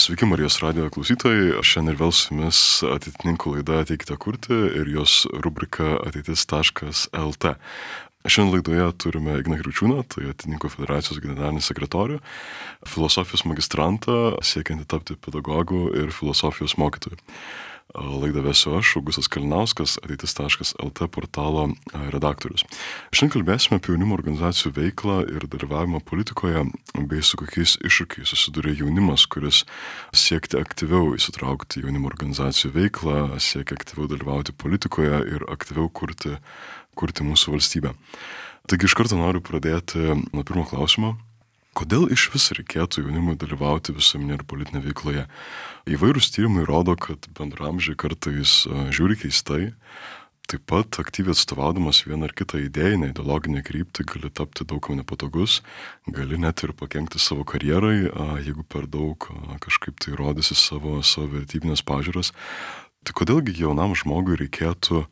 Sveiki Marijos radijo klausytojai, aš šiandien ir vėl su jumis ateitininkų laida Ateikite kurti ir jos rubrika ateitis.lt. Šiandien laidoje turime Igną Kriaučiūną, tai Ateitininkų federacijos generalinį sekretorių, filosofijos magistrantą, siekiantį tapti pedagogu ir filosofijos mokytoju. Laidą vesiu aš, Augustas Kalinauskas, ateitis.lt portalo redaktorius. Šiandien kalbėsime apie jaunimo organizacijų veiklą ir dalyvavimą politikoje, bei su kokiais iššūkiais susiduria jaunimas, kuris siekti aktyviau įsitraukti jaunimo organizacijų veiklą, siekia aktyviau dalyvauti politikoje ir aktyviau kurti mūsų valstybę. Taigi iš karto noriu pradėti nuo pirmo klausimo. Kodėl iš vis reikėtų jaunimui dalyvauti visuomenėje ir politinėje veikloje? Įvairūs tyrimai rodo, kad bendraamžiai kartais žiūri keistai. Taip pat aktyviai atstovaudamas vieną ar kitą idėjinę, ideologinę kryptį gali tapti daug nepatogus, gali net ir pakenkti savo karjerai, jeigu per daug kažkaip tai rodysi savo vertybinės pažiūras. Tai kodėlgi jaunam žmogui reikėtų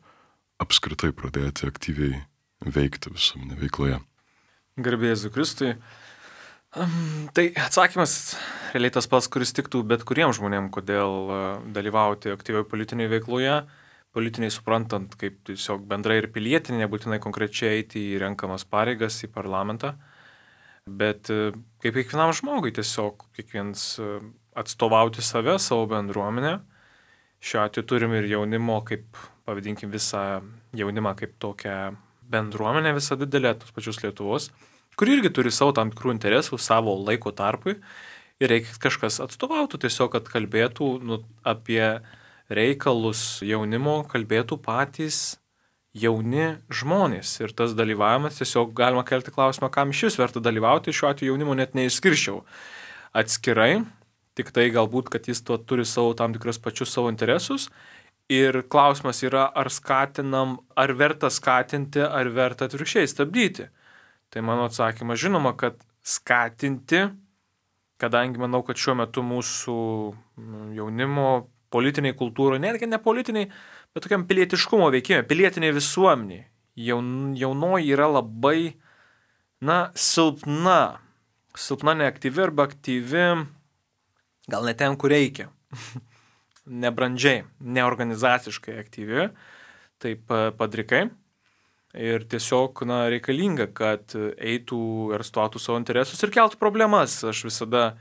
apskritai pradėti aktyviai veikti visuomenėje veikloje? Garbė Jėzui Kristui. Tai atsakymas realiai tas pats, kuris tiktų bet kuriems žmonėms, kodėl dalyvauti aktyviai politinėje veikloje, politiniai suprantant kaip tiesiog bendrai ir pilietinė, nebūtinai konkrečiai eiti į renkamas pareigas, į parlamentą, bet kaip kiekvienam žmogui tiesiog kiekvienas atstovauti save, savo bendruomenę. Šiuo atveju turim ir jaunimo, kaip pavadinkim visą jaunimą kaip tokią bendruomenę visą didelę, tos pačius Lietuvos, kuri irgi turi savo tam tikrų interesų, savo laiko tarpui ir reikia kažkas atstovautų, tiesiog, kad kalbėtų apie reikalus jaunimo, kalbėtų patys jauni žmonės. Ir tas dalyvavimas, tiesiog galima kelti klausimą, kam iš vis verta dalyvauti, šiuo atveju jaunimo net neišskirčiau atskirai, tik tai galbūt, kad jis to turi savo tam tikras pačius savo interesus. Ir klausimas yra, ar skatinam, ar verta skatinti, ar verta atvirkščiai stabdyti. Tai mano atsakymas, žinoma, kad skatinti, kadangi manau, kad šiuo metu mūsų jaunimo politiniai kultūrai, netgi ne politiniai, bet tokiam pilietiškumo veikime, pilietiniai visuomeniai, jaunoji yra labai, silpna neaktyvi arba aktyvi, gal ne ten, kur reikia, nebrandžiai, neorganizaciškai aktyvi, taip padrikai. Ir tiesiog reikalinga, kad eitų ir atstovautų savo interesus ir keltų problemas. Aš visada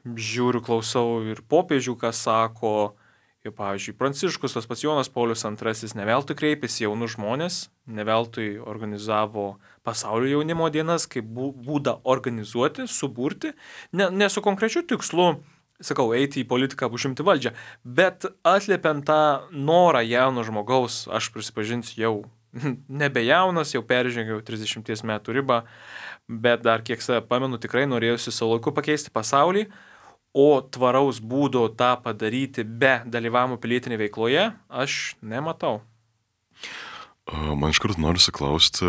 žiūriu, klausau ir popiežių, ką sako, ir pavyzdžiui, Pranciškus, tas pats Jonas Paulius II, neveltui kreipėsi jaunus žmonės, neveltui organizavo pasaulio jaunimo dienas, kaip būdą organizuoti, suburti, ne su konkrečiu tikslu, sakau, eiti į politiką, užimti valdžią, bet atliepiant tą norą jauno žmogaus, aš prisipažinsiu jau nebejaunas, jau peržengiau 30 metų ribą, bet dar kiek save pamenu, tikrai norėjusi savo laiku pakeisti pasaulį, o tvaraus būdo tą padaryti be dalyvavimo pilietinėje veikloje aš nematau. Man iš karto noriu klausti,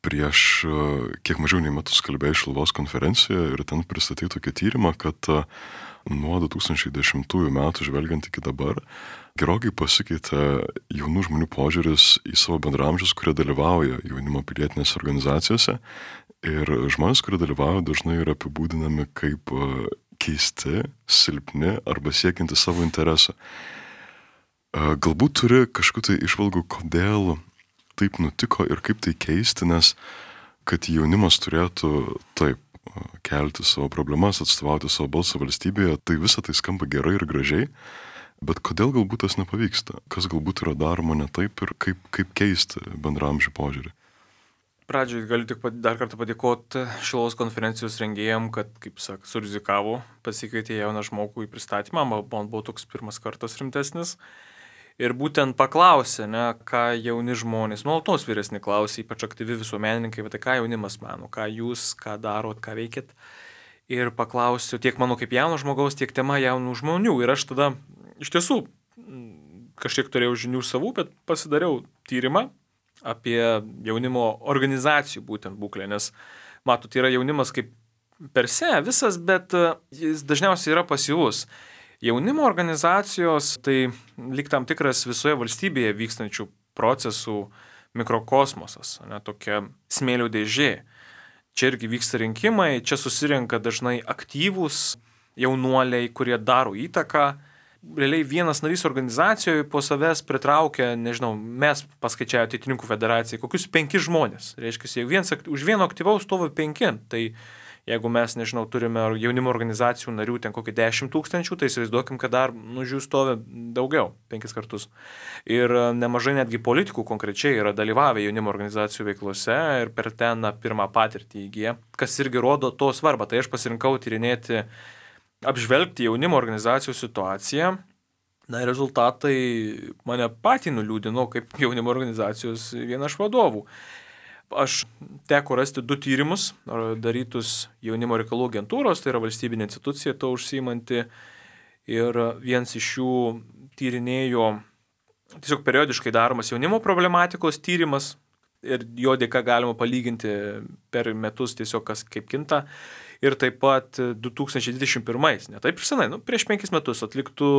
prieš kiek mažiau nei metus kalbėjau Šiluvos konferencijoje ir ten pristatyti tokį tyrimą, kad nuo 2010 metų žvelgiant iki dabar gerokai pasikeitė jaunų žmonių požiūris į savo bendraamžius, kurie dalyvauja jaunimo pilietinėse organizacijose. Ir žmonės, kurie dalyvauja, dažnai yra apibūdinami kaip keisti, silpni arba siekianti savo interesą. Galbūt turi kažkokių tai išvalgų, kodėl taip nutiko ir kaip tai keisti, nes kad jaunimas turėtų taip kelti savo problemas, atstovauti savo balsą valstybėje, tai visą tai skamba gerai ir gražiai. Bet kodėl galbūt tas nepavyksta? Kas galbūt yra daroma ne taip ir kaip keisti bendramžių požiūrį? Pradžiai galiu tik dar kartą padėkoti Šiluvos konferencijos rengėjam, kad, kaip sak, surizikavo, pasikvietė jauną žmogų į pristatymą, man buvo toks pirmas kartas rimtesnis. Ir būtent paklausė, ką jauni žmonės, nuolatos vyresni klausė, ypač aktyvi visuomenininkai, bet tai ką jaunimas mano, ką jūs, ką darot, ką veikit. Ir paklausiu tiek mano kaip jauno žmogaus, tiek tema jaunų žmonių. Ir aš tada iš tiesų kažkiek turėjau žinių savų, bet pasidariau tyrimą apie jaunimo organizacijų būtent būklę, nes matot, yra jaunimas kaip per se visas, bet jis dažniausiai yra pasyvus. Jaunimo organizacijos tai lyg tam tikras visoje valstybėje vykstančių procesų mikrokosmosas, tokia smėlio dėžė. Čia irgi vyksta rinkimai, čia susirenka dažnai aktyvūs jaunuoliai, kurie daro įtaką. Realiai vienas narys organizacijoje po savęs pritraukia, nežinau, mes paskaičiavę Ateitininkų federacijai, kokius 5 žmonės. Reiškia, už vieno aktyvaus stovi 5. Tai jeigu mes, nežinau, turime jaunimo organizacijų narių ten kokį 10 000, tai įsivaizduokim, kad dar už jų stovi daugiau, 5 kartus. Ir nemažai netgi politikų konkrečiai yra dalyvavę jaunimo organizacijų veiklose ir per ten pirmą patirtį įgyję, kas irgi rodo to svarbą. Tai aš pasirinkau tyrinėti, apžvelgti jaunimo organizacijų situaciją. Na ir rezultatai mane patį nuliūdino kaip jaunimo organizacijos viena iš vadovų. Aš teko rasti 2 tyrimus, darytus jaunimo reikalų agentūros, tai yra valstybinė institucija to užsiimanti. Ir vienas iš jų tyrinėjo tiesiog periodiškai daromas jaunimo problematikos tyrimas ir jo dėka galima palyginti per metus tiesiog kas kaip kinta. Ir taip pat 2021, ne taip ir senai, prieš 5 metus atliktų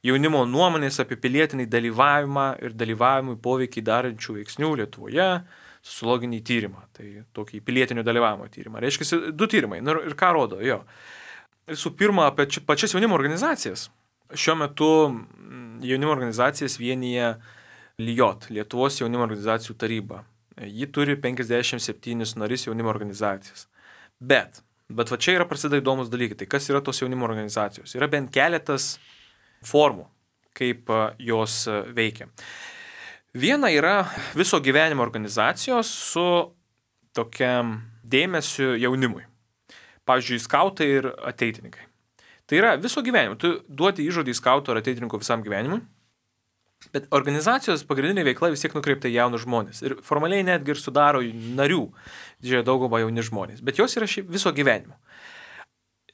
jaunimo nuomonės apie pilietinį dalyvavimą ir dalyvavimui poveikį darančių veiksnių Lietuvoje sociologinį tyrimą, tai tokį pilietinio dalyvavimo tyrimą. Reiškia, 2 tyrimai. Ir ką rodo? Jo. Visų pirma, apie pačias jaunimo organizacijas. Šiuo metu jaunimo organizacijas vienyje LIJOT, Lietuvos jaunimo organizacijų taryba. Ji turi 57 narys jaunimo organizacijas. Bet va čia yra prasideda įdomus dalykai. Tai kas yra tos jaunimo organizacijos? Yra bent keletas formų, kaip jos veikia. Viena yra viso gyvenimo organizacijos su tokiam dėmesiu jaunimui. Pavyzdžiui, skautai ir ateitininkai. Tai yra viso gyvenimo. Tu duoti įžodį skauto ar ateitininko visam gyvenimui, bet organizacijos pagrindinė veikla vis tiek nukreipta į jaunus žmonės. Ir formaliai netgi ir sudaro narių, didžiąją daugumą jauni žmonės. Bet jos yra viso gyvenimo.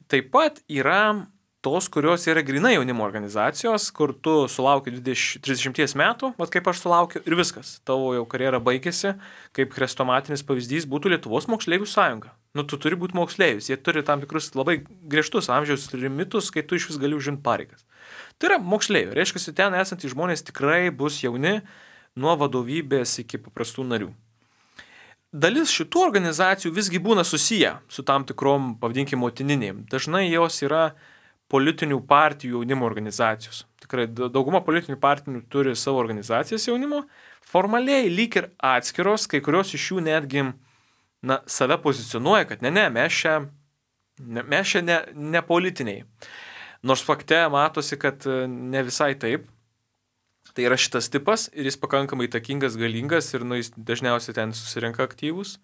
Taip pat yra tos, kurios yra grynai jaunimo organizacijos, kur tu sulauki 30 metų, kaip aš sulaukiu, ir viskas. Tavo jau karjera baigėsi, kaip chrestomatinis pavyzdys būtų Lietuvos moksleivių sąjunga. Tu turi būti moksleivis, jie turi tam tikrus labai griežtus amžiaus limitus, kai tu iš vis gali užimti pareigas. Tai yra moksleiviai, reiškia, ten esantys žmonės tikrai bus jauni nuo vadovybės iki paprastų narių. Dalis šitų organizacijų visgi būna susiję su tam tikrom, pavadinkim, motininėm. Dažnai jos yra politinių partijų jaunimo organizacijos. Tikrai dauguma politinių partijų turi savo organizacijas jaunimo, formaliai lyg ir atskiros, kai kurios iš jų netgi save pozicionuoja, kad mes čia ne politiniai. Nors fakte matosi, kad ne visai taip. Tai yra šitas tipas ir jis pakankamai įtakingas, galingas ir jis dažniausiai ten susirenka aktyvus.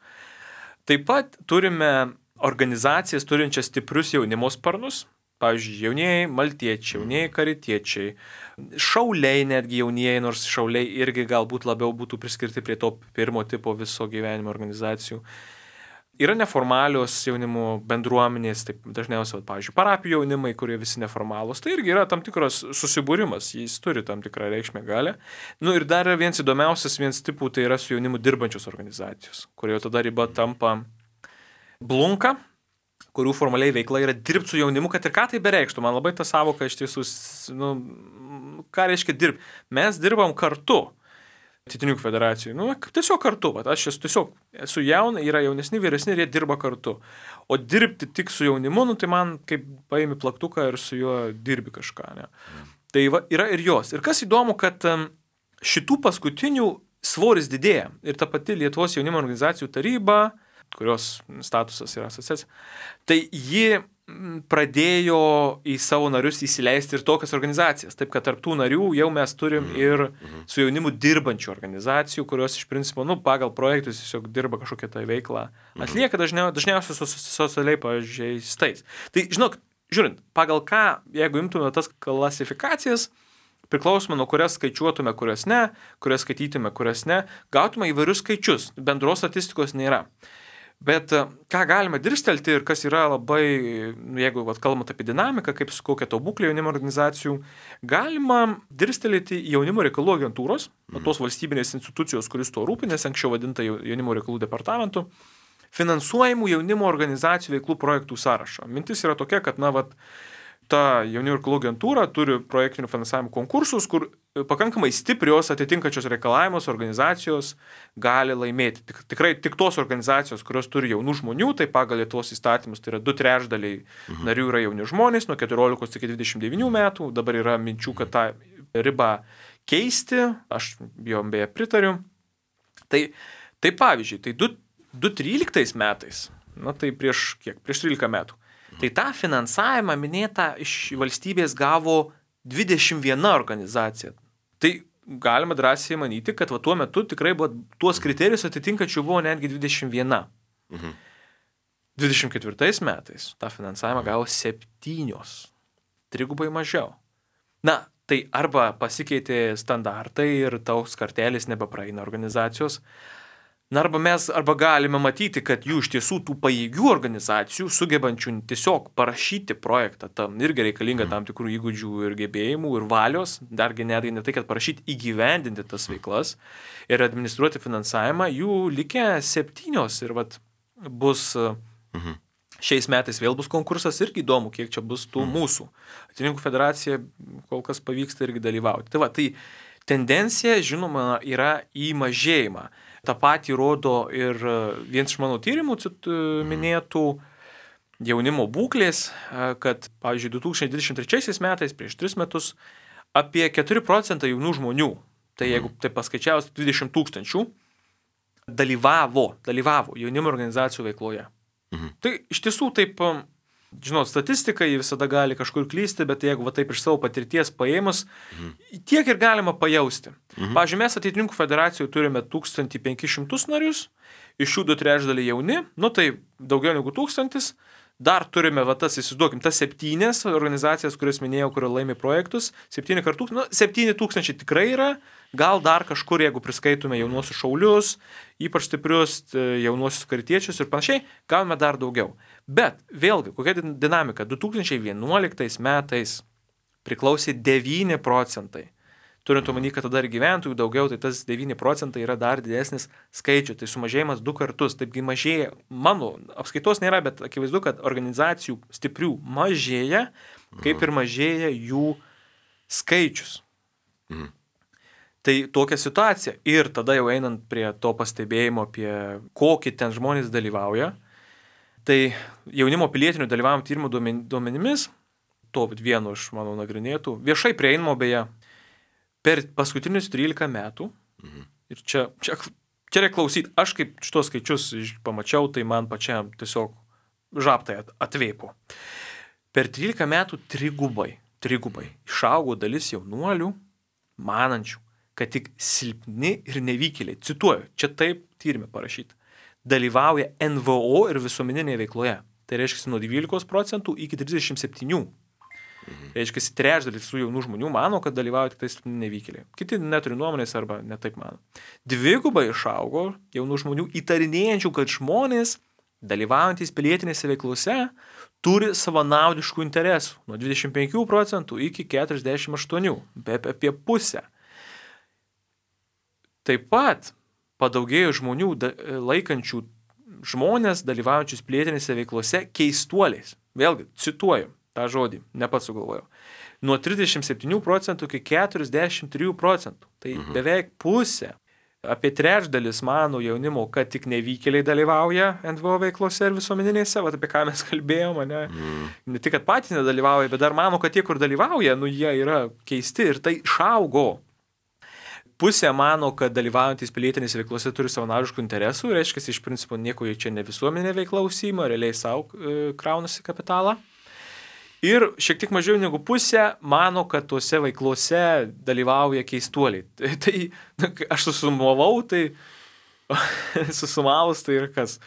Taip pat turime organizacijas turinčias stiprius jaunimo sparnus. Pavyzdžiui, jaunieji maltiečiai, jaunieji karitiečiai, šauliai netgi jaunieji, nors šauliai irgi galbūt labiau būtų priskirti prie to pirmo tipo viso gyvenimo organizacijų. Yra neformalios jaunimo bendruomenės, taip dažniausiai, pavyzdžiui, parapijų jaunimai, kurie visi neformalūs. Tai irgi yra tam tikras susibūrimas, jis turi tam tikrą reikšmę galę. Ir dar vienas tipų, tai yra su jaunimu dirbančios organizacijos, kurio tada riba tampa blunka, kurių formaliai veikla yra dirbti su jaunimu, kad ir ką tai bereikštų. Man labai ta savoka iš tiesų, ką reiškia dirbti. Mes dirbam kartu Ateitininkų federacijai. Tiesiog kartu. Aš esu jauna, yra jaunesni, vyresni ir jie dirba kartu. O dirbti tik su jaunimu, tai man kaip paimi plaktuką ir su juo dirbi kažką. Ne? Tai yra ir jos. Ir kas įdomu, kad šitų paskutinių svoris didėja. Ir ta pati Lietuvos jaunimo organizacijų taryba, kurios statusas yra asociacija, tai ji pradėjo į savo narius įsileisti ir tokias organizacijas. Taip, kad tarp tų narių jau mes turim ir su jaunimu dirbančių organizacijų, kurios iš principo, pagal projektus tiesiog dirba kažkokią tai veiklą. Atlieka dažniausiai socialiai pažeistais. Tai, žiūrint, pagal ką, jeigu imtume tas klasifikacijas, priklausomai nuo kurias skaičiuotume, kurias ne, kurias skaitytume, kurias ne, gautume įvairius skaičius. Bendros statistikos nėra. Bet ką galime dirstelti ir kas yra labai, jeigu kalbant apie dinamiką, kaip kokia to būklė jaunimo organizacijų, galima dirstelėti jaunimo reikalų agentūros, tos valstybinės institucijos, kuris to rūpinės, anksčiau vadinta jaunimo reikalų departamentu, finansuojamų jaunimo organizacijų veiklų projektų sąrašą. Mintis yra tokia, kad ta jaunimo reikalų agentūra turi projektinių finansavimo konkursus, kur pakankamai stiprios atitinkančios reikalavimus organizacijos gali laimėti. Tikrai tik tos organizacijos, kurios turi jaunų žmonių, tai pagal Lietuvos įstatymus, tai yra 2/3 narių yra jauni žmonės, nuo 14 iki 29 metų, dabar yra minčių, kad tą ribą keisti, aš jom beje pritariu. Tai pavyzdžiui, tai 2013 metais, tai prieš 13 metų, tai tą finansavimą minėtą iš valstybės gavo 21 organizacija. Tai galima drąsiai manyti, kad tuo metu tikrai buvo tuos kriterijus atitinkančių buvo netgi 21. 24 metais tą finansavimą gavo 7, trigubai mažiau. Tai arba pasikeitė standartai ir taus kartelis nebepraeina organizacijos, arba galime matyti, kad jų iš tiesų tų pajėgių organizacijų, sugebančių tiesiog parašyti projektą, tam irgi reikalinga tam tikrų įgūdžių ir gebėjimų ir valios, dargi netgi ne tai, kad parašyti, įgyvendinti tas veiklas ir administruoti finansavimą, jų likę 7 ir bus šiais metais vėl bus konkursas, irgi įdomu, kiek čia bus tų mūsų. Ateitininkų federacija kol kas pavyksta irgi dalyvauti. Tai tendencija, žinoma, yra į mažėjimą. Ta patį rodo ir vienas iš mano tyrimų minėtų jaunimo būklės, kad, pavyzdžiui, 2023 metais, prieš 3 metus, apie 4% jaunų žmonių, tai jeigu tai paskaičiavus 20 000, dalyvavo jaunimo organizacijų veikloje. Tai iš tiesų taip, žinot, statistika visada gali kažkur klysti, bet jeigu taip iš savo patirties paėmus, tiek ir galima pajausti. Pavyzdžiui, mes Ateitininkų federacijoje turime 1500 narius, iš jų 2/3 jauni, tai daugiau negu 1000, dar turime, tas 7 organizacijas, kurias minėjau, kurio laimi projektus, 7 kartų, 7000 tikrai yra, gal dar kažkur, jeigu priskaitume jaunuosius šaulius, ypač stiprius jaunuosius karitiečius ir panašiai, gavome dar daugiau. Bet vėlgi, kokia dinamika? 2011 metais priklausė 9%. Turint omeny, kad tada ir gyventojų daugiau, tai tas 9% yra dar didesnis skaičius. Tai sumažėjimas 2 kartus. Taipgi mažėja, mano apskaitos nėra, bet akivaizdu, kad organizacijų stiprių mažėja, kaip ir mažėja jų skaičius. Tai tokia situacija. Ir tada jau einant prie to pastebėjimo apie kokį ten žmonės dalyvauja, tai jaunimo pilietinių dalyvavimo tyrimų duomenimis, to vieno iš mano nagrinėtų, viešai prieinamo beje, per paskutinius 13 metų, ir čia reikia klausyti, aš kaip šitos skaičius pamačiau, tai man pačiam tiesiog žabtai atvėpo. Per 13 metų trigubai išaugo dalis jaunuolių, manančių, kad tik silpni ir nevykėliai, cituoju, čia taip tyrime parašyta, dalyvauja NVO ir visuomeninėje veikloje. Tai reiškia nuo 12% iki 37%. Reiškia, 1/3 su jaunų žmonių mano, kad dalyvauja tik tais nevykėliai. Kiti neturi nuomonės arba netaip mano. 2 išaugo jaunų žmonių įtarinėjančių, kad žmonės dalyvaujantys pilietinėse veiklose turi savanaudiškų interesų. Nuo 25% iki 48%, apie pusę. Taip pat padaugėjo žmonių laikančių žmonės dalyvaujančius pilietinėse veiklose keistuoliais. Vėlgi, cituoju tą žodį, ne pats sugalvojau. Nuo 37% iki 43%. Tai beveik pusė. Apie 1/3 mano jaunimo, kad tik nevykėliai dalyvauja NVO veiklose ir visuomeninėse, apie ką mes kalbėjome, ne tik, kad patys nedalyvauja, bet dar mano, kad tie, kur dalyvauja, jie yra keisti ir tai išaugo. Pusė mano, kad dalyvaujantys pilietinėse veiklose turi savanaudiškų interesų, reiškia, iš principo nieko čia ne visuomenė veikla užsiima, realiai savo kraunasi kapitalą. Ir šiek tiek mažiau negu pusė mano, kad tuose veiklose dalyvauja keistuoliai. Tai aš susumavau, susumavus tai ir kas,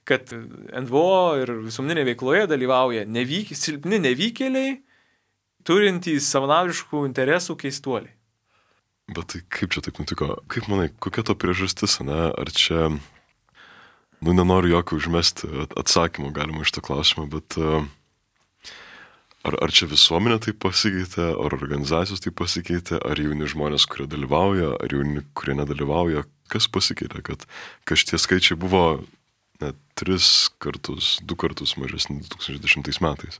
kad NVO ir visuomeninė veikloje dalyvauja silpni nevykėliai, turintys savanaudiškų interesų keistuoliai. Bet tai kaip čia taip nutiko? Kaip manai, kokia to priežastis, Ar čia, nenoriu jokio užmesti atsakymų galima iš to klausimą, bet ar čia visuomenė taip pasikeitė, ar organizacijos taip pasikeitė, ar jauni žmonės, kurie dalyvauja, ar jauni, kurie nedalyvauja, kas pasikeitė, kad šitie skaičiai buvo net 2 kartus mažesni 2010 metais?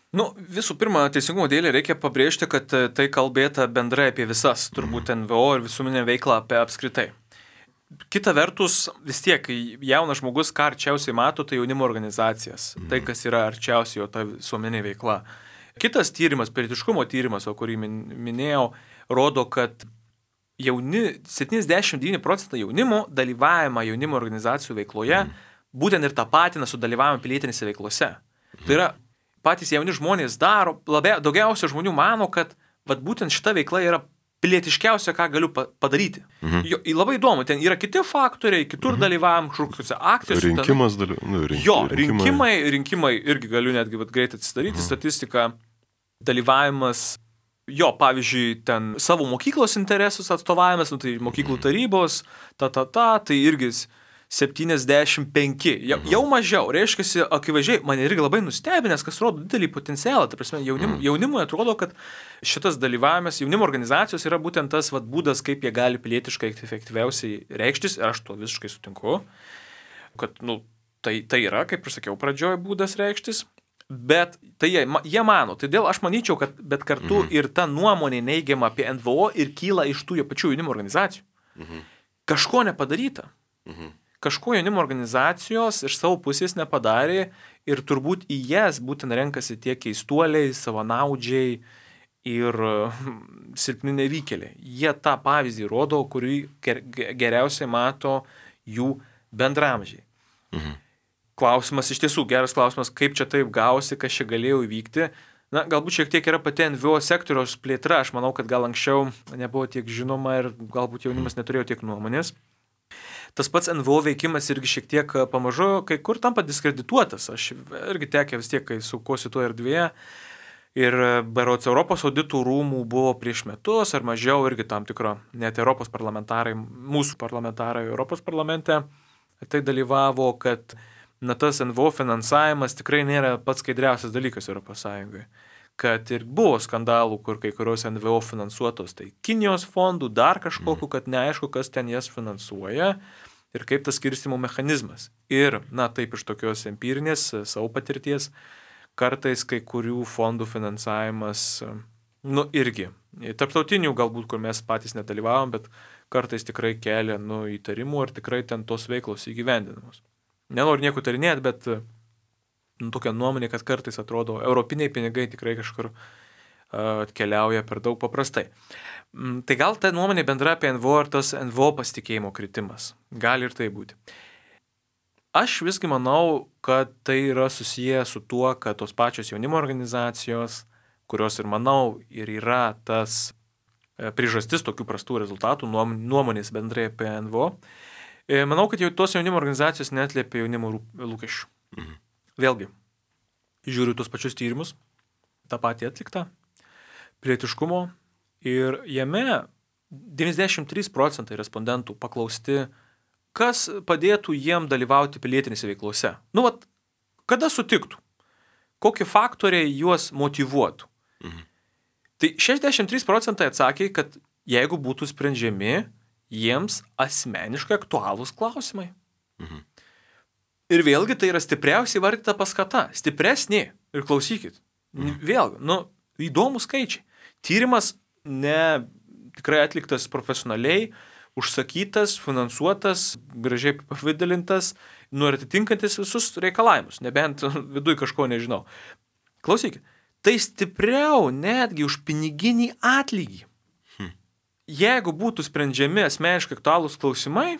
Visų pirma, teisingumo dėlei reikia pabrėžti, kad tai kalbėta bendrai apie visas, turbūt NVO ir visuomeninę veiklą apie apskritai. Kita vertus, vis tiek, jaunas žmogus, ką arčiausiai mato, tai jaunimo organizacijas, tai kas yra arčiausiai jo ta visuomeninė veikla. Kitas tyrimas, pilietiškumo tyrimas, o kurį minėjau, rodo, kad 79% jaunimo dalyvavimą jaunimo organizacijų veikloje būtent ir tapatina su dalyvavimu pilietinėse veiklose. Tai yra, patys jauni žmonės daro, daugiausia žmonių mano, kad būtent šita veikla yra pilietiškiausia, ką galiu padaryti. Labai įdomu, ten yra kiti faktoriai, kitur dalyvavom, kažkokiuose akcijose. Rinkimas rinkimai irgi galiu netgi greitai atsidaryti statistiką. Dalyvavimas, pavyzdžiui, ten savo mokyklos interesus atstovavimas, tai mokyklų tarybos, tai irgi 75, jau mažiau, reiškia, akivaizdžiai, mane irgi labai nustebinęs, kas rodo didelį potencialą, ta prasme, jaunimui atrodo, kad šitas dalyvavimas, jaunimo organizacijos yra būtent tas būdas, kaip jie gali pilietiškai efektyviausiai reikštis, ir aš to visiškai sutinku, kad, tai yra, kaip ir sakiau, pradžioje būdas reikštis, bet tai jie mano, todėl aš manyčiau, kad bet kartu ir ta nuomonė neigiama apie NVO ir kyla iš tų pačių jaunimo organizacijų. Kažko nepadaryta. Kažko jaunimo organizacijos iš savo pusės nepadarė ir turbūt į jas būtent renkasi tie keistuoliai, savanaudžiai ir silpni nevykėliai. Jie tą pavyzdį rodo, kurį geriausiai mato jų bendramžiai. Klausimas, iš tiesų geras klausimas, kaip čia taip gausi, kas čia galėjo įvykti. Galbūt šiek tiek yra pati NVO sektoriaus plėtra, aš manau, kad gal anksčiau nebuvo tiek žinoma ir galbūt jaunimas neturėjo tiek nuomonės. Tas pats NVO veikimas irgi šiek tiek pamažu kai kur tampa diskredituotas. Aš irgi tekė vis tiek, kai sukuosi tuo erdvėje. Ir berods Europos auditų rūmų buvo prieš metus ar mažiau irgi tam tikro, net Europos parlamentarai, mūsų parlamentarai Europos parlamente tai dalyvavo, kad tas NVO finansavimas tikrai nėra pats skaidriausias dalykas Europos Sąjungoje. Kad ir buvo skandalų, kur kai kurios NVO finansuotos, tai Kinijos fondų, dar kažkokiu, kad neaišku, kas ten jas finansuoja ir kaip tas skirstimo mechanizmas. Ir, taip iš tokios empirinės savo patirties, kartais kai kurių fondų finansavimas, irgi, tarptautinių galbūt, kur mes patys nedalyvavom, bet kartais tikrai kelia, įtarimų, ar tikrai ten tos veiklos įgyvendinamos. Nenoriu nieko tarinėti, bet tokia nuomonė, kad kartais atrodo, europiniai pinigai tikrai kažkur atkeliauja per daug paprastai. Tai gal ta nuomonė bendra apie NVO ir tas NVO pasitikėjimo kritimas. Gali ir tai būti. Aš visgi manau, kad tai yra susiję su tuo, kad tos pačios jaunimo organizacijos, kurios ir manau ir yra tas priežastis tokių prastų rezultatų, nuomonės bendrai apie NVO, manau, kad jau tos jaunimo organizacijos neatliepia jaunimo lūkesčių. Vėlgi, žiūriu tos pačius tyrimus, tą patį atliktą, pilietiškumo, ir jame 93% respondentų paklausti, kas padėtų jiem dalyvauti pilietinėse veiklose. Kada sutiktų? Kokie faktoriai juos motyvuotų? Tai 63% atsakė, kad jeigu būtų sprendžiami jiems asmeniškai aktualūs klausimai. Ir vėlgi tai yra stipriausiai vardyta paskata. Stipresnė. Ir klausykit. Vėlgi, įdomūs skaičiai. Tyrimas tikrai atliktas profesionaliai, užsakytas, finansuotas, gražiai pavidalintas, ir atitinkantis visus reikalavimus. Nebent viduj kažko nežinau. Klausykit. Tai stipriau netgi už piniginį atlygį. Jeigu būtų sprendžiami asmeniškai aktualūs klausimai,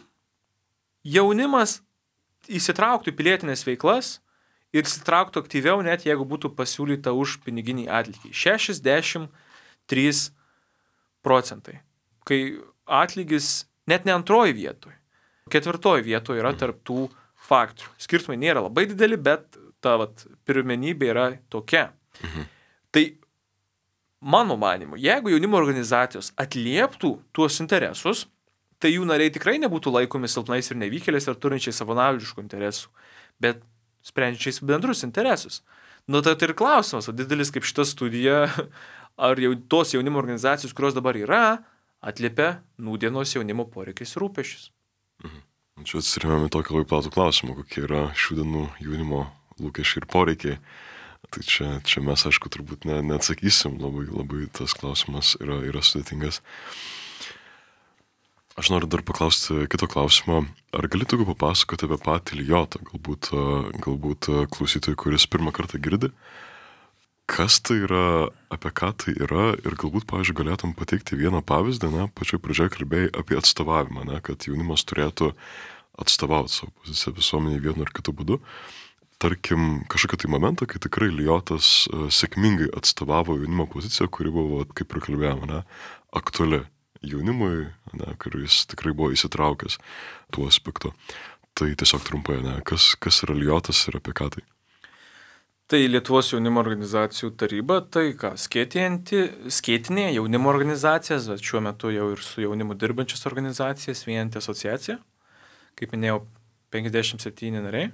jaunimas įsitrauktų į pilietinės veiklas ir įsitrauktų aktyviau, net jeigu būtų pasiūlyta už piniginį atlygį. 63%. Kai atlygis net ne antroji vietoje, 4 vietoje yra tarp tų faktorių. Skirtumai nėra labai dideli, bet ta pirmenybė yra tokia. Tai mano manimu, jeigu jaunimo organizacijos atlieptų tuos interesus, tai jų nariai tikrai nebūtų laikomi silpnais ir nevykėliais ar turinčiais savanaudiškų interesų, bet sprendžiais bendrus interesus. Tai ir klausimas, didelis kaip šita studija, ar jau tos jaunimo organizacijos, kurios dabar yra, atliepia nūdienos jaunimo poreikiais ir rūpesčius. Čia atsirėmėme tokį labai platų klausimą, kokie yra šių dienų jaunimo lūkesčiai ir poreikiai. Tai čia mes, aišku, turbūt neatsakysim, labai tas klausimas yra sudėtingas. Aš noriu dar paklausti kito klausimo. Ar galėtų papasakoti apie patį Lijotą, galbūt klausytojui, kuris pirmą kartą girdi, kas tai yra, apie ką tai yra ir galbūt, pavyzdžiui, galėtum pateikti vieną pavyzdį, pačioj pradžioje kalbėjai apie atstovavimą, kad jaunimas turėtų atstovauti savo poziciją visuomenėje vienu ar kitu būdu. Tarkim, kažkokį tai momentą, kai tikrai Lijotas sėkmingai atstovavo jaunimo poziciją, kuri buvo, kaip ir kalbėjome, aktuali jaunimui, kuris tikrai buvo įsitraukęs tuo aspektu. Tai tiesiog trumpai, kas yra Lijotas ir apie ką tai? Tai Lietuvos jaunimo organizacijų taryba, tai ką, skėtinė jaunimo organizacijas, bet šiuo metu jau ir su jaunimu dirbančias organizacijas, vieninti asociacija. Kaip minėjau, 57 nariai,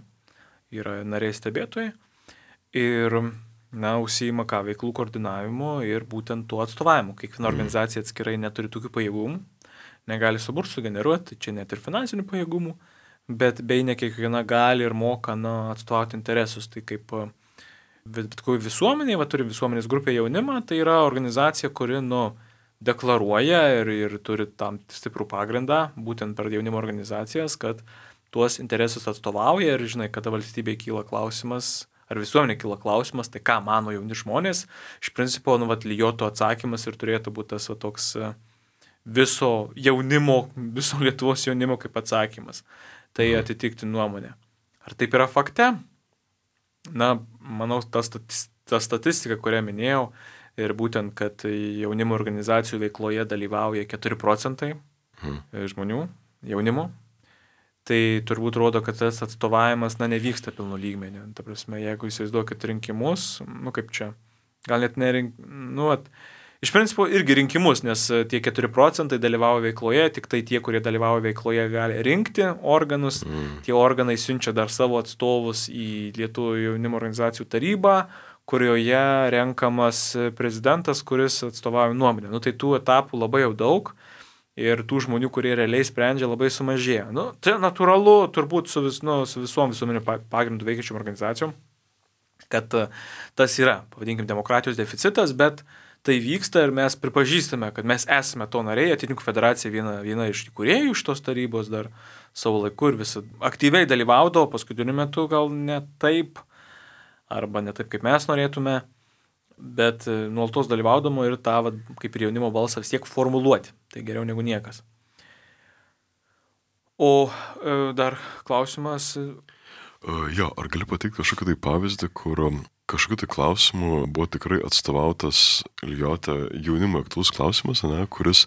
yra nariai stebėtojai ir, užsiima veiklų koordinavimu ir būtent tuo atstovavimu. Kiekviena organizacija atskirai neturi tokių pajėgumų, negali suburti, sugeneruoti, čia net ir finansinių pajėgumų, bet bei ne kiekviena gali ir moka atstovauti interesus. Tai kaip visuomenė, turi visuomenės grupė jaunimą, tai yra organizacija, kuri deklaruoja ir turi tam stiprų pagrindą, būtent per jaunimo organizacijas, kad tuos interesus atstovauja ir, žinai, kada valstybėje kyla klausimas, ar visuomenė kyla klausimas, tai ką mano jauni žmonės, iš principo, Lijoto atsakymas ir turėtų būti tas toks viso Lietuvos jaunimo kaip atsakymas. Tai atitikti nuomonę. Ar taip yra fakte? Manau, ta statistika, kurią minėjau, ir būtent, kad jaunimo organizacijų veikloje dalyvauja 4% žmonių, jaunimo, tai turbūt rodo, kad tas atstovavimas nevyksta pilnu lygmeniu. Ta prasme, jeigu įsivaizduokit rinkimus, kaip čia, gal net iš principo irgi rinkimus, nes tie 4% dalyvauja veikloje, tik tai tie, kurie dalyvauja veikloje, gali rinkti organus, tie organai siunčia dar savo atstovus į Lietuvos jaunimo organizacijų tarybą, kurioje renkamas prezidentas, kuris atstovauja nuomonę. Tai tų etapų labai jau daug ir tų žmonių, kurie realiai sprendžia, labai sumažėja. Tai natūralu turbūt su visom visuomenio pagrindų veikiančiom organizacijom, kad tas yra, pavadinkim, demokratijos deficitas, bet tai vyksta ir mes pripažįstame, kad mes esame to nariai, Ateitininkų federacija viena iš įkūrėjų šitos tarybos dar savo laiku ir visi aktyviai dalyvaudavo, paskutiniu metu gal ne taip, arba ne taip, kaip mes norėtume, bet nuolatos dalyvaudama ir tą, kaip ir jaunimo balsą vis tiek formuluoti. Tai geriau negu niekas. O dar klausimas. Ar gali pateikti kažkokį tai pavyzdį, kur kažkokiu tai klausimu buvo tikrai atstovautas Lijote jaunimo aktualus klausimas, kuris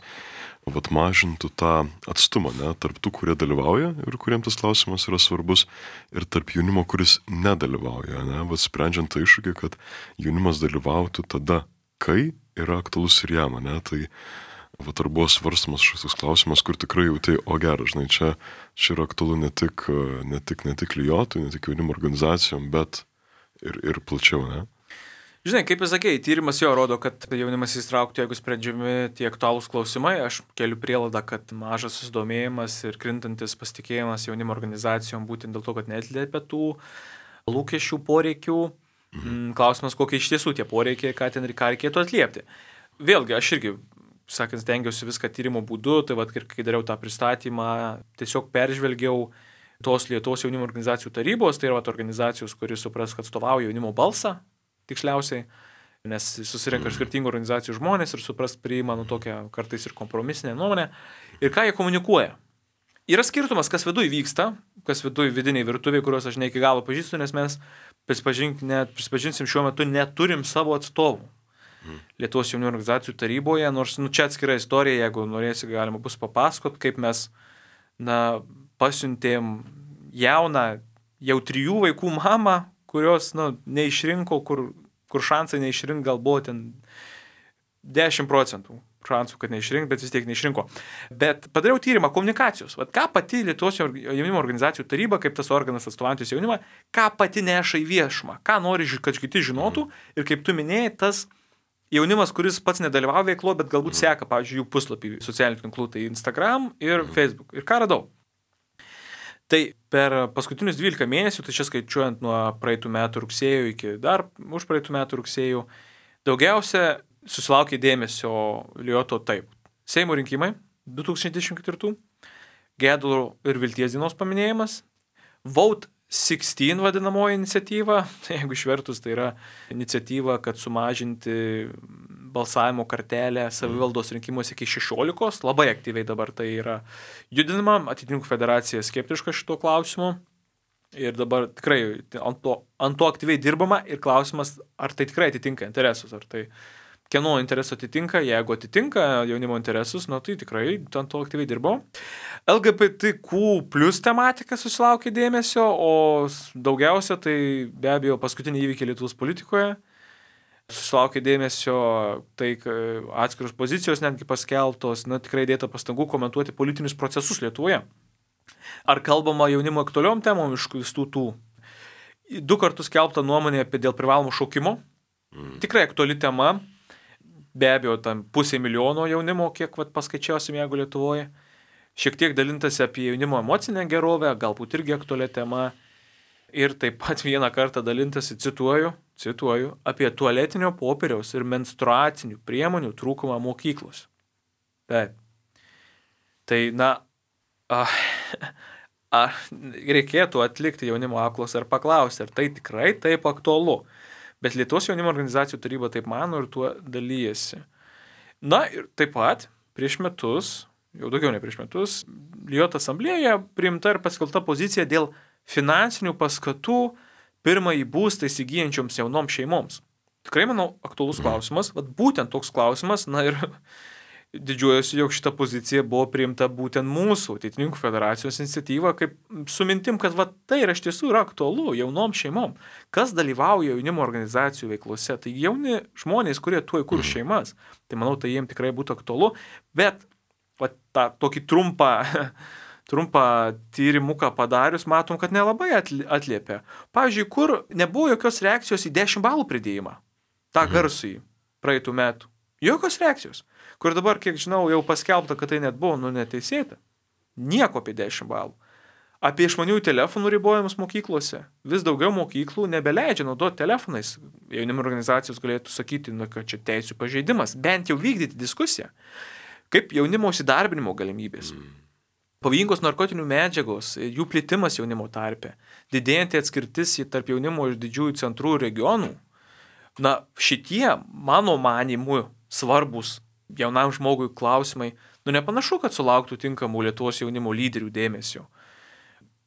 mažintų tą atstumą tarp tų, kurie dalyvauja ir kuriems tas klausimas yra svarbus, ir tarp jaunimo, kuris nedalyvauja, sprendžiant tą iššūkį, kad jaunimas dalyvautų tada, kai yra aktualus ir jam, tai ar buvo svarstamas šis klausimas, kur tikrai jautai, geras, žinai, čia yra aktualu ne tik Lijotui, ne tik jaunimo organizacijom, bet ir plačiau, Žinai, kaip jūs sakei, tyrimas jo rodo, kad jaunimas įsitrauktų, jeigu sprendžiami tie aktualūs klausimai. Aš keliu prielaidą, kad mažas susidomėjimas ir krintantis pasitikėjimas jaunimo organizacijom būtent dėl to, kad neatliepia tų lūkesčių, poreikių. Klausimas, kokie iš tiesų tie poreikiai, ką reikėtų atliepti. Vėlgi, aš irgi, sakant, stengiausi viską tyrimo būdu, tai kai dariau tą pristatymą, tiesiog peržvelgiau tos Lietuvos jaunimo organizacijų tarybos, tai yra organizacijos, kuris supras, kad atstovauja jaunimo balsą, tiksliausiai, nes susirenka skirtingų organizacijų žmonės ir supras priima tokią kartais ir kompromisinę nuomonę. Ir ką jie komunikuoja. Yra skirtumas, kas viduj vyksta, kas viduj vidiniai virtuviai, kuriuos aš ne iki galo pažįstu, nes mes, prisipažinsim, šiuo metu neturim savo atstovų Lietuvos jaunimo organizacijų taryboje, nors čia atskira istorija, jeigu norėsi, galima bus papasakot, kaip mes pasiuntėm jauną, jau 3 vaikų mamą, kurios neišrinko, kur šansai neišrink gal buvo ten 10% šansų, kad neišrink, bet vis tiek neišrinko. Bet padariau tyrimą komunikacijos. Ką pati Lietuvos jaunimo organizacijų taryba, kaip tas organas atstovaujantis jaunimą, ką pati neša į viešumą, ką nori, kad kiti žinotų, ir kaip tu minėjai, tas jaunimas, kuris pats nedalyvauja veiklo, bet galbūt seka, pavyzdžiui, jų puslapį socialinių tinklų, tai Instagram ir Facebook. Ir ką radau? Tai per paskutinius 12 mėnesių, tai čia skaičiuojant nuo praeitų metų rugsėjo iki dar už praeitų metų rugsėjo, daugiausia susilaukė dėmesio Lioto taip. Seimo rinkimai 2024, Gedulo ir Vilties dienos paminėjimas, Vote 16 vadinamoji iniciatyva, jeigu išvertus tai yra iniciatyva, kad sumažinti balsavimo kartelę savivaldos rinkimuose iki 16, labai aktyviai dabar tai yra judinama, Ateitininkų federacija skeptiška šito klausimu ir dabar tikrai ant to aktyviai dirbama ir klausimas, ar tai tikrai atitinka interesus, ar tai kieno interesų atitinka, jeigu atitinka jaunimo interesus, tai tikrai ant to aktyviai dirbo. LGBTQ plus tematika susilaukė dėmesio, o daugiausia tai be abejo paskutiniai įvykiai Lietuvos politikoje. Susilaukė dėmesio tai atskiros pozicijos netgi paskeltos, tikrai dėta pastangų komentuoti politinius procesus Lietuvoje. Ar kalbama jaunimo aktualiom temom iš visų tų? 2 kartus skelbta nuomonė apie dėl privalomo šaukimo. Tikrai aktuali tema. Be abejo, tam 500,000 jaunimo, kiek paskaičiausim, jeigu Lietuvoje. Šiek tiek dalintasi apie jaunimo emocinę gerovę, galbūt irgi aktualią temą. Ir taip pat vieną kartą dalintasi, cituoju, apie tualetinio popieriaus ir menstruacinių priemonių trūkumą mokyklos. Taip. Tai, reikėtų atlikti jaunimo apklausą ir paklausti, ar tai tikrai taip aktualu. Bet Lietuvos jaunimo organizacijų taryba taip mano ir tuo dalyjasi. Ir taip pat prieš metus, jau daugiau ne prieš metus, Lioto asamblėje priimta ir paskelbta pozicija dėl finansinių paskatų pirmąjį būstą įsigyjančioms jaunoms šeimoms. Tikrai, manau, aktualus klausimas, būtent toks klausimas, ir didžiuojuosi, jog šita pozicija buvo priimta būtent mūsų Ateitininkų federacijos iniciatyva, kaip su mintim, kad tai iš tiesų yra aktualu jaunom šeimom. Kas dalyvauja jaunimo organizacijų veiklose? Tai jauni žmonės, kurie tuoj kurs šeimas. Tai manau, tai jiems tikrai būtų aktualu. Bet tą tokį trumpą tyrimuką padarius, matom, kad nelabai atliepia. Pavyzdžiui, kur nebuvo jokios reakcijos į 10 balų pridėjimą. Ta garsųjį praeitų metų. Jokios reakcijos. Kur dabar, kiek žinau, jau paskelbta, kad tai net buvo neteisėta. Nieko apie 10 balų. Apie išmaniųjų telefonų ribojimus mokyklose. Vis daugiau mokyklų nebeleidžia naudoti telefonais. Jaunimo organizacijos galėtų sakyti, kad čia teisių pažeidimas. Bent jau vykdyti diskusiją. Kaip jaunimo įsidarbinimo galimybės. Pavojingos narkotinių medžiagos, jų plitimas jaunimo tarpe. Didėjanti atskirtis tarp jaunimo iš didžiųjų centrų ir regionų. Šitie, mano manimu, svarbus jaunam žmogui klausimai, nepanašu, kad sulauktų tinkamų Lietuvos jaunimo lyderių dėmesio.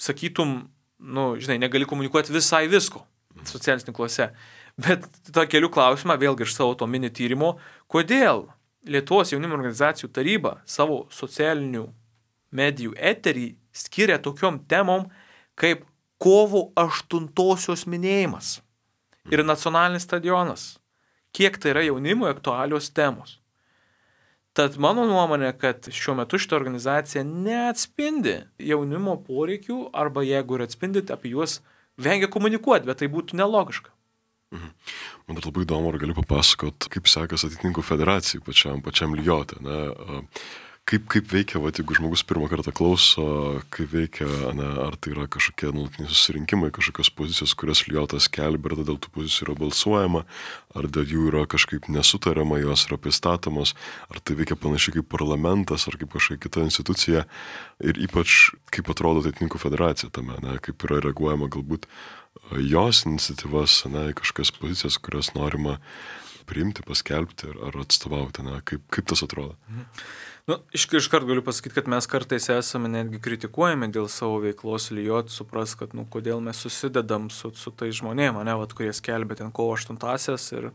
Sakytum, negali komunikuoti visai visko socialiniuose tinkluose, bet tą kelių klausimą, vėlgi iš savo to mini tyrimo, kodėl Lietuvos jaunimo organizacijų taryba savo socialinių medijų eterį skiria tokiom temom kaip kovo 8-osios minėjimas ir nacionalinis stadionas. Kiek tai yra jaunimui aktualios temos. Tad mano nuomonė, kad šiuo metu šitą organizaciją neatspindi jaunimo poreikių arba jeigu ir atspindi, apie juos vengia komunikuoti, bet tai būtų nelogiška. Man dar labai įdomu, ar gali papasakot, kaip sekas Ateitininkų federacijai pačiam Liote. Kaip veikia, jeigu žmogus pirmą kartą klauso, kaip veikia, ar tai yra kažkokie nuolatiniai susirinkimai, kažkokios pozicijos, kurias Liotas skelbia, ar dėl tų pozicijų yra balsuojama, ar dėl jų yra kažkaip nesutariama, jos yra pristatomos, ar tai veikia panašiai kaip parlamentas, ar kaip kažkokia kita institucija, ir ypač kaip atrodo Ateitininkų federacija tame, kaip yra reaguojama galbūt jos iniciatyvas, į kažkokias pozicijas, kurias norima priimti, paskelbti ar atstovauti, kaip tas atrodo. Iškart galiu pasakyti, kad mes kartais esame netgi kritikuojami dėl savo veiklos Liot, supras, kad kodėl mes susidedam su tai žmonėm, kurie skelbia ten kovo 8-asias ir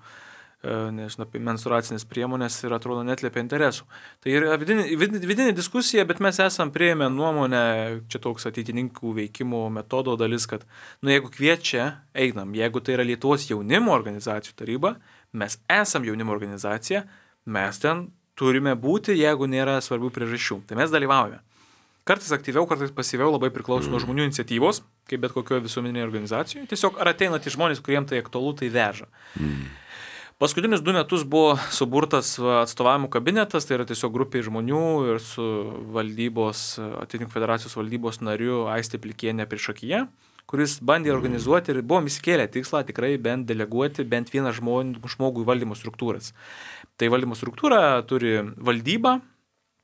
apie menstruacinės priemonės ir atrodo netliepia interesų. Tai yra vidinė diskusija, bet mes esam priėmę nuomonę, čia toks ateitininkų veikimo metodo dalis, kad jeigu kviečia, einam, jeigu tai yra Lietuvos jaunimo organizacijų taryba, mes esam jaunimo organizacija, mes ten turime būti, jeigu nėra svarbių priežasčių. Tai mes dalyvaujame. Kartais aktyviau, kartais pasyviau, labai priklauso nuo žmonių iniciatyvos, kaip bet kokioje visuomeninėje organizacijoje. Tiesiog ar ateina tie žmonės, kuriems tai aktualu, tai veža. Paskutinius 2 metus buvo suburtas atstovavimų kabinetas, tai yra tiesiog grupė žmonių ir su valdybos, atitinkamos federacijos valdybos nariu Aistė Plikienė priešakyje, kuris bandė organizuoti ir buvom įsikėlę tikslą tikrai bent deleguoti bent vieną žmogų į valdymo struktūras. Tai valdymo struktūra turi valdybą,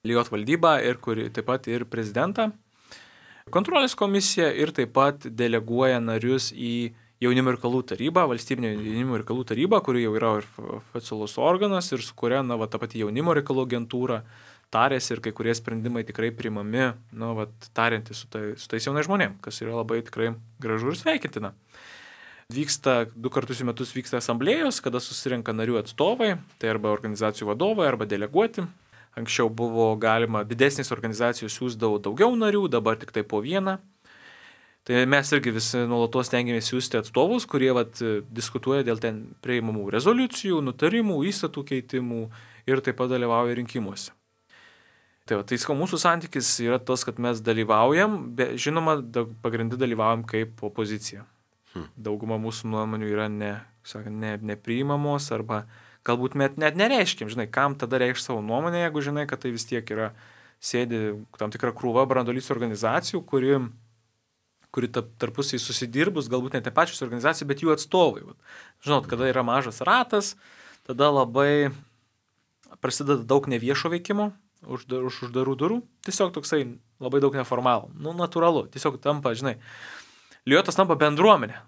lygiot valdybą ir kuri taip pat ir prezidentą, kontrolės komisiją ir taip pat deleguoja narius į Jaunimo reikalų taryba, valstybinė jaunimo reikalų taryba, kuri jau yra ir oficialus organas ir su kuria, ta pati jaunimo reikalų agentūra tarėsi ir kai kurie sprendimai tikrai priimami, tariantys su tais jaunais žmonėm, kas yra labai tikrai gražu ir sveikintina. Vyksta 2 kartus į metus vyksta asamblėjos, kada susirenka narių atstovai, tai arba organizacijų vadovai, arba deleguoti. Anksčiau buvo galima didesnės organizacijos siųsdavo daugiau narių, dabar tik tai po vieną. Tai mes irgi visi nuolatos stengiamės siųsti atstovus, kurie diskutuoja dėl ten priimamų rezoliucijų, nutarimų, įstatų keitimų ir taip pat dalyvauja rinkimuose. Tai mūsų santykis yra tas, kad mes dalyvaujam, žinoma, pagrindai dalyvaujam kaip opozicija. Dauguma mūsų nuomonių yra nepriimamos arba galbūt net nereiškim, kam tada reikš savo nuomonę, jeigu žinai, kad tai vis tiek yra sėdi tam tikra krūva branduolys organizacijų, kuri tarpusiai susidirbus, galbūt net ne pačios organizacijos, bet jų atstovai. Žinot, kada yra mažas ratas, tada labai prasideda daug neviešo veikimo už uždarų durų, tiesiog toksai labai daug neformalų, natūralu, tiesiog tampa, Liotas tampa bendruomenė,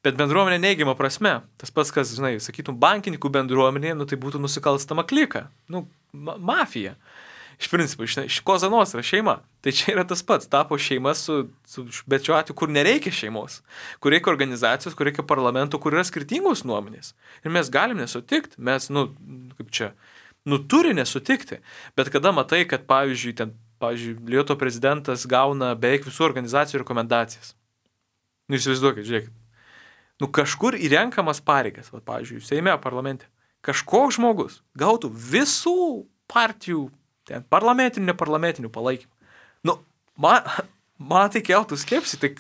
bet bendruomenė neigiama prasme, tas pats, kas, sakytum, bankininkų bendruomenė, tai būtų nusikalstama klika, mafija. Iš principo, iš Koza Nostra šeima. Tai čia yra tas pats, tapo šeima bet šiuo atveju, kur nereikia šeimos, kur reikia organizacijos, kur reikia parlamento, kur yra skirtingos nuomonės. Ir mes galim nesutikti, mes, turi nesutikti. Bet kada matai, kad, pavyzdžiui, Lioto prezidentas gauna beveik visų organizacijų rekomendacijas. Įsivaizduokit, žiūrėkit. Kažkur įrenkamas pareigas, pavyzdžiui, Seime, parlamente, kažkoks žmogus gautų visų partijų parlamentinių, neparlamentinių palaikymų. Man tai keltų skepsį, tai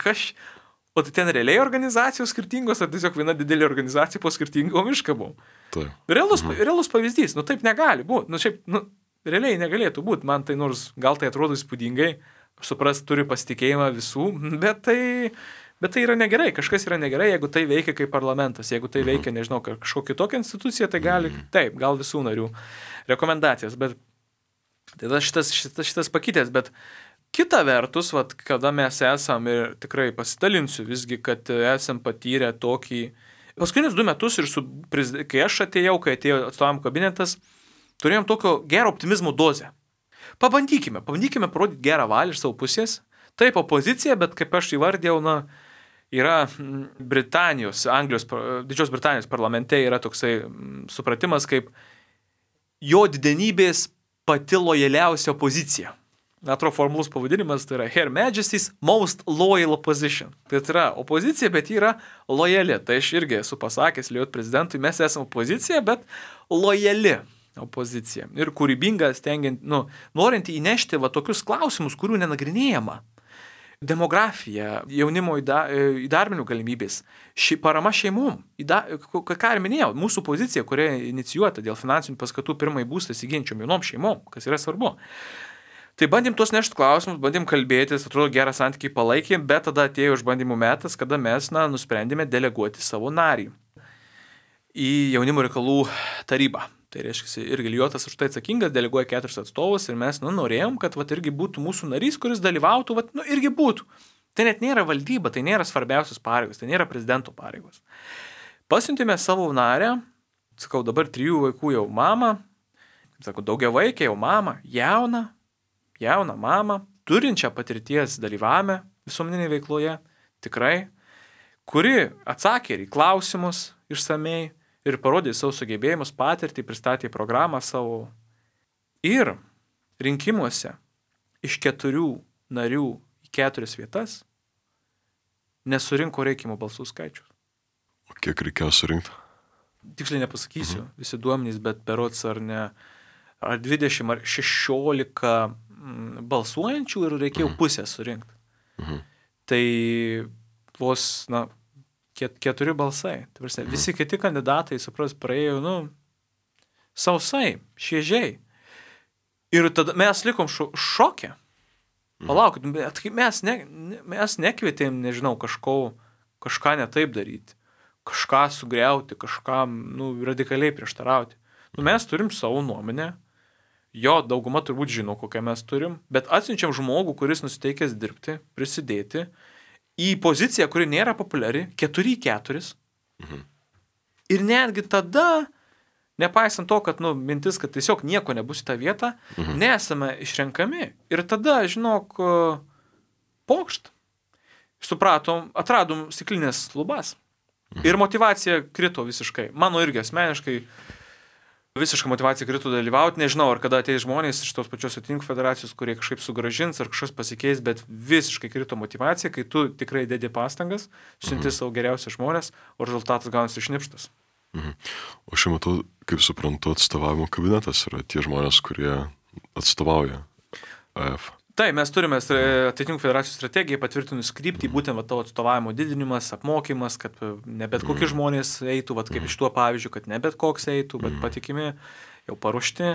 o tai ten realiai organizacijos skirtingos, ar tiesiog viena didelė organizacija po skirtingom iškabom. Realus pavyzdys, taip negali būti, realiai negalėtų būti, man tai nors gal tai atrodo įspūdingai, suprast, turi pasitikėjimą visų, bet tai yra negerai, kažkas yra negerai, jeigu tai veikia kaip parlamentas, jeigu tai veikia, nežinau, kažkokia tokia institucija, tai gal visų narių rekomendacijas, bet tai šitas pakytės, bet kita vertus, kada mes esam ir tikrai pasidalinsiu visgi, kad esam patyrę tokį, paskutinius 2 metus ir kai aš atėjau, kai atėjo atstovavimų kabinetas, turėjom tokio gero optimizmo dozę. Pabandykime parodyti gerą valią iš savo pusės. Taip, opozicija, bet kaip aš įvardėjau, yra Didžios Britanijos parlamente yra toksai supratimas, kaip jo didenybės pati lojaliausia opozicija. Atrodo, formalus pavadinimas tai yra Her Majesty's Most Loyal Opposition. Tai yra opozicija, bet yra lojali. Tai aš irgi esu pasakęs Lietuvos prezidentui, mes esame opozicija, bet lojali opozicija. Ir kūrybinga, norint įnešti tokius klausimus, kurių nenagrinėjama. Demografija, jaunimo įdarbinių galimybės, parama šeimom. Ką ir minėjau, mūsų pozicija, kuria inicijuota dėl finansinių paskatų pirmąjį būstą įsigyjančiom jaunom šeimom, kas yra svarbu. Tai bandėm tuos nešti klausimus, bandėm kalbėtis, atrodo gerą santykį palaikėm, bet tada atėjo išbandymų metas, kada mes nusprendėme deleguoti savo narį į Jaunimo reikalų tarybą. Tai reiškia, irgi Liotas už tai atsakingas, deleguoja 4 atstovus ir mes norėjom, kad irgi būtų mūsų narys, kuris dalyvautų, irgi būtų. Tai net nėra valdyba, tai nėra svarbiausios pareigos, tai nėra prezidento pareigos. Pasiuntėme savo narę, dabar 3 vaikų jau mamą, daugiavaikė jau mamą, jauną mamą, turinčią patirties dalyvavime visuomeninėje veikloje, tikrai, kuri atsakė ir į klausimus išsamei, ir parodė savo sugebėjimus, patirtį, pristatė programą savo. Ir rinkimuose iš 4 narių į 4 vietas nesurinko reikiamų balsų skaičius. O kiek reikėjo surinkti? Tiksliai nepasakysiu, visi duomenys, bet berods ar 20 ar 16 balsuojančių ir reikėjo pusę surinkti. Tai vos, 4 balsai. Visi kiti kandidatai, praėjo, sausai, šviežiai. Ir tada mes likom šoke. Palaukit, bet mes nekvietėm, nežinau, kažką ne taip daryti, kažką sugriauti, kažką radikaliai prieštarauti. Mes turim savo nuomonę, jo dauguma turbūt žino, kokią mes turim, bet atsiunčiam žmogų, kuris nusiteikęs dirbti, prisidėti į poziciją, kuri nėra populiari, 4-4. Ir netgi tada, nepaisant to, kad mintis, kad tiesiog nieko nebus į tą vietą, nesame išrenkami. Ir tada, žinok, pokšt. Supratom, atradom stiklinės lubas. Ir motyvacija krito visiškai. Mano irgi asmeniškai visiškai motyvacija krito dalyvauti. Nežinau, ar kada ateis žmonės iš tos pačios Atininkų federacijos, kurie kažkaip sugražins ar kažkas pasikeis, bet visiškai krito motyvacija, kai tu tikrai dedi pastangas, siunti savo geriausius žmonės, o rezultatas gaunasi išnipštas. O šiuo metu, kaip suprantu, atstovavimo kabinetas yra tie žmonės, kurie atstovauja AF. Tai mes turime Atininkų federacijos strategiją patvirtinus kryptį, būtent tavo atstovavimo didinimas, apmokymas, kad ne bet kokie žmonės eitų, kaip iš tuo pavyzdžių, kad ne bet koks eitų, bet patikimi, jau paruošti.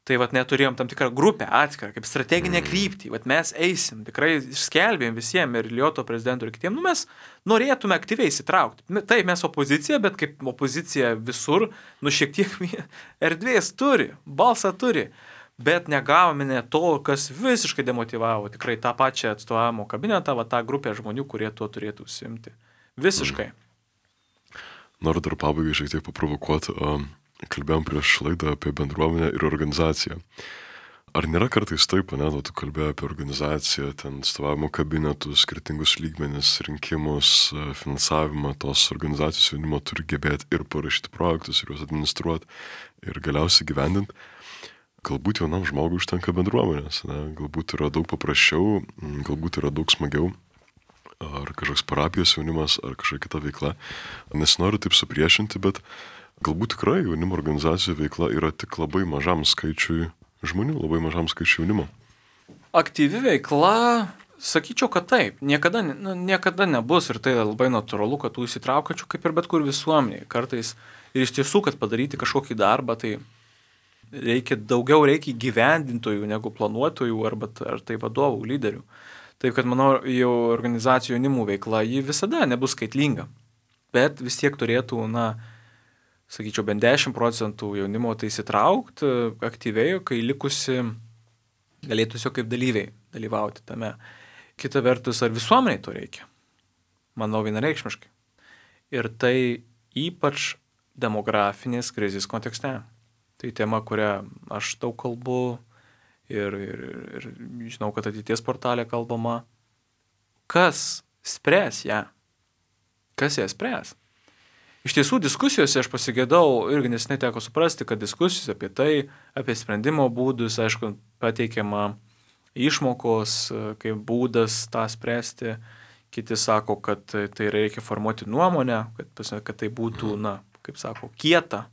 Tai neturėjom tam tikrą grupę atskirą, kaip strateginę kryptį. Mes eisim, tikrai skelbėm visiems ir Lioto prezidentui ir kitiems. Mes norėtume aktyviai įsitraukti. Tai mes opozicija, bet kaip opozicija visur, šiek tiek erdvės turi, balsą turi. Bet negavome net to, kas visiškai demotyvavo tikrai tą pačią atstovavimo kabinetą, tą grupę žmonių, kurie tuo turėtų užsiimti. Visiškai. Noriu dar pabaigai šiek tiek paprovokuoti. Kalbėjom prieš laidą apie bendruomenę ir organizaciją. Ar nėra kartais taip, tu kalbėjai apie organizaciją, ten atstovavimo kabinetus, skirtingus lygmenis, rinkimus, finansavimą, tos organizacijos jaunimo turi gebėti ir parašyti projektus, ir juos administruoti, ir galiausiai gyvendinti. Galbūt jaunam žmogui užtenka bendruomenės, galbūt yra daug paprasčiau, galbūt yra daug smagiau, ar kažkoks parapijos jaunimas, ar kažkokia kita veikla. Nesinoriu taip supriešinti, bet galbūt tikrai jaunimo organizacijų veikla yra tik labai mažam skaičiui žmonių, labai mažam skaičiui jaunimo. Aktyvi veikla, sakyčiau, kad taip. Niekada nebus ir tai labai natūralu, kad tų įsitraukiančių kaip ir bet kur visuomenėje. Kartais ir iš tiesų, kad padaryti kažkokį darbą, tai daugiau reikia gyvendintojų negu planuotojų ar tai vadovų, lyderių. Taip, kad manau, jau organizacijų jaunimų veikla, ji visada nebus skaitlinga. Bet vis tiek turėtų, sakyčiau, bent 10% jaunimo tai įsitraukti aktyviai, kai likusi galėtų tiesiog kaip dalyviai dalyvauti tame. Kita vertus, ar visuomeniai to reikia? Manau, vienareikšmiškai. Ir tai ypač demografinės krizės kontekste. Tai tema, kurią aš daug kalbu ir žinau, kad ateities portalė kalbama. Kas spręs ją? Kas ją spręs? Iš tiesų, diskusijose aš pasigėdau, irgi nes neteko suprasti, kad diskusijos apie tai, apie sprendimo būdus, aišku, pateikiama išmokos, kaip būdas tą spręsti. Kiti sako, kad tai reikia formuoti nuomonę, kad tai būtų, kaip sako, kieta.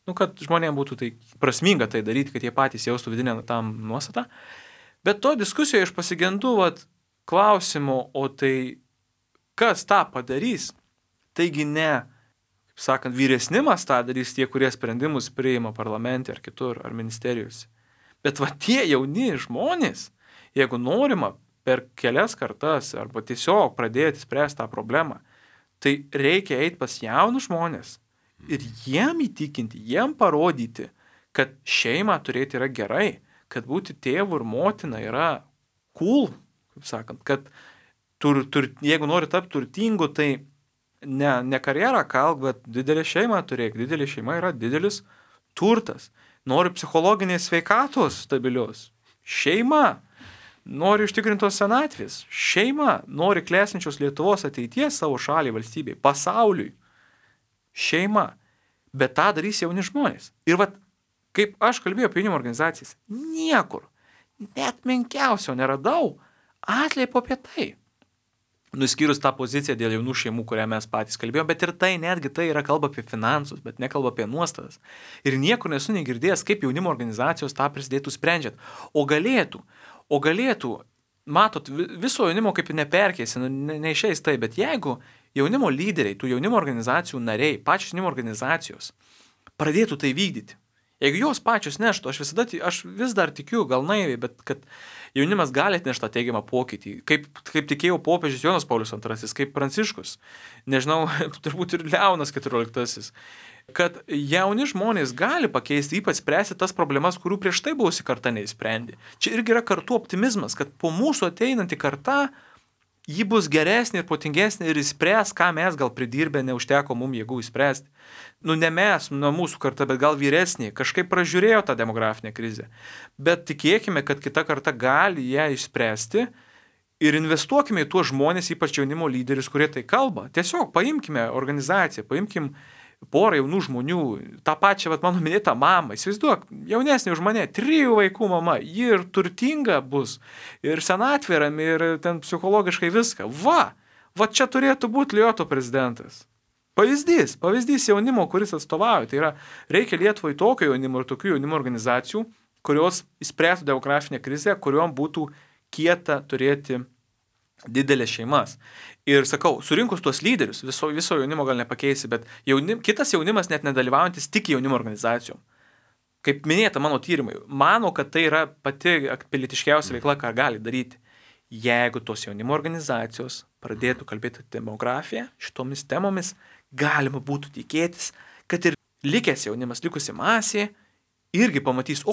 Kad žmonėms būtų tai prasminga tai daryti, kad jie patys jaustų vidinę tam nuostatą. Bet to diskusijoje aš pasigendu klausimų, o tai kas tą padarys? Taigi ne, kaip sakant, vyresnimas tą darys tie, kurie sprendimus priima parlamente ar kitur, ar ministerijose. Bet tie jauni žmonės, jeigu norima per kelias kartas arba tiesiog pradėti spręsti tą problemą, tai reikia eiti pas jaunus žmonės. Ir jiem įtikinti, jiem parodyti, kad šeimą turėti yra gerai, kad būti tėvu ir motina yra cool, kaip sakant, kad jeigu nori tapti turtingu, tai ne karjerą kalk, bet didelę šeimą turėk. Didelė šeima yra didelis turtas. Nori psichologinės sveikatos stabilios. Šeima. Nori užtikrintos senatvės. Šeima. Nori klestinčios Lietuvos ateities savo šaliai, valstybei, pasauliui. Šeima. Bet tą darys jauni žmonės. Ir kaip aš kalbėjau apie jaunimo organizacijas, niekur, net menkiausio neradau atleipo apie tai. Nuskyrus tą poziciją dėl jaunų šeimų, kurią mes patys kalbėjome, bet ir tai netgi tai yra kalba apie finansus, bet nekalba apie nuostatas. Ir niekur nesu negirdėjęs, kaip jaunimo organizacijos tą prisidėtų sprendžiant. O galėtų, matot, viso jaunimo kaip neperkėsi, neišeis tai, bet jeigu jaunimo lyderiai, tų jaunimo organizacijų nariai, pačios jaunimo organizacijos pradėtų tai vykdyti. Jeigu jos pačios neštų, aš vis dar tikiu, gal naiviai, bet kad jaunimas gali atnešti tą teigiamą pokytį, kaip tikėjo popiežius Jonas Paulius II, kaip Pranciškus, nežinau, turbūt ir Leonas XIV, kad jauni žmonės gali pakeisti, ypač spręsti tas problemas, kurių prieš tai buvusi karta neįsprendė. Čia irgi yra kartų optimizmas, kad po mūsų ateinanti karta ji bus geresnė ir protingesnė ir įspręs, ką mes gal pridirbę neužteko mums jėgų įspręsti. Ne mes, mūsų karta, bet gal vyresnė, kažkaip pražiūrėjo tą demografinę krizę. Bet tikėkime, kad kita karta gali ją išspręsti ir investuokime į tuos žmonės, ypač jaunimo lyderius, kurie tai kalba. Tiesiog paimkime organizaciją, paimkime porą jaunų žmonių, tą pačią, mano minėtą mamą, įsivaizduok, jaunesnė už mane, 3 vaikų mama, ji ir turtinga bus, ir senatvė rami, ir ten psichologiškai viską. Va čia turėtų būti Lioto prezidentas. Pavyzdys jaunimo, kuris atstovauja. Tai yra, reikia Lietuvai tokio jaunimo ir tokių jaunimo organizacijų, kurios įspręstų demografinę krizę, kuriuom būtų kieta turėti didelės šeimas. Ir sakau, surinkus tuos lyderius, viso jaunimo gal nepakeisi, bet kitas jaunimas net nedalyvaujantis tik jaunimo organizacijom. Kaip minėta mano tyrimai, mano, kad tai yra pati pilietiškiausia veikla, ką gali daryti. Jeigu tos jaunimo organizacijos pradėtų kalbėti demografiją šitomis temomis, galima būtų tikėtis, kad ir likęs jaunimas, likusi masė, irgi pamatys,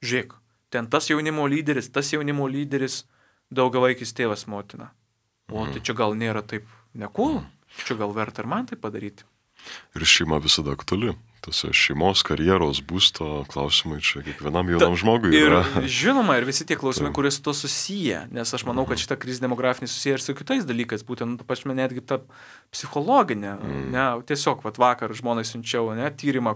žiūrėk, ten tas jaunimo lyderis, daugiavaikis tėvas motina. Tai čia gal nėra taip nekūl, čia gal verta ir man tai padaryti. Ir šeima visada aktuali. Tose šeimos, karjeros, būsto klausimai čia kiekvienam jaunam žmogui yra. Ir žinoma, ir visi tie klausimai, kurie su to susiję, nes aš manau, kad šita krizė demografinė susiję ir su kitais dalykais, būtent pačiame netgi ta psichologinė. Tiesiog vakar žmonai siunčiau tyrimą,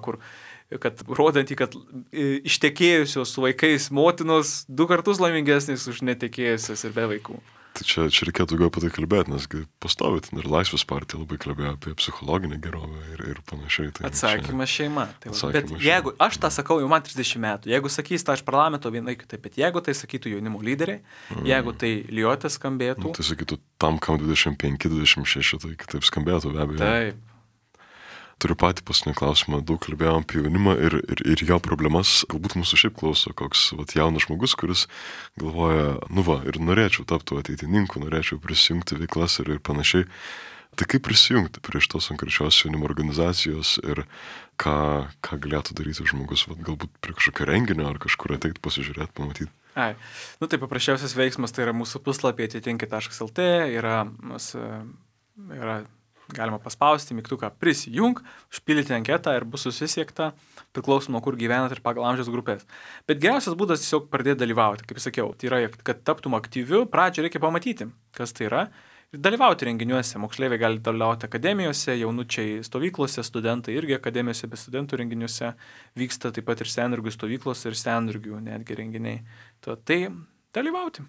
kad rodantį, kad ištekėjusios su vaikais motinos 2 kartus laimingesnės už netekėjusios ir be vaikų. Tai čia reikėtų daugiau apie tai kalbėti, nes pastovit ir Laisvės partija labai kalbėjo apie psichologinę gerovę ir panašiai. Tai atsakymas šeima. Bet jeigu, aš tą sakau, jau man 30 metų, jeigu sakys tą iš parlamento vienai kitaip, bet jeigu tai sakytų jaunimo lyderiai, jeigu tai Liotė skambėtų. Tai sakytų tam, kam 25-26, tai kitaip skambėtų be abejo. Taip. Turiu patį paskutinį klausimą, daug kalbėjom apie jaunimą ir jo problemas. Galbūt mūsų šiaip klauso koks jaunas žmogus, kuris galvoja, ir norėčiau tapti ateitininku, norėčiau prisijungti veiklas ir panašiai. Tai kaip prisijungti prie šitos konkrečios jaunimo organizacijos ir ką galėtų daryti žmogus, galbūt prie kažkokio renginio ar kažkur ateiti pasižiūrėti, pamatyti? Tai paprasčiausias veiksmas tai yra mūsų puslapyje atitinki.lt, yra galima paspausti mygtuką prisijung, užpildyti anketą ir bus susisiekta, priklausom nuo kur gyvenat ir pagal amžiaus grupės. Bet geriausias būdas tiesiog pradėti dalyvauti, kaip sakiau. Tai yra, kad taptum aktyviu, pradžioje reikia pamatyti, kas tai yra ir dalyvauti renginiuose. Moksleiviai gali dalyvauti akademijose, jaunučiai stovyklose, studentai irgi akademijose, be studentų renginiuose. Vyksta taip pat ir sendirgių stovyklos ir sendirgių netgi renginiai. Tai dalyvauti.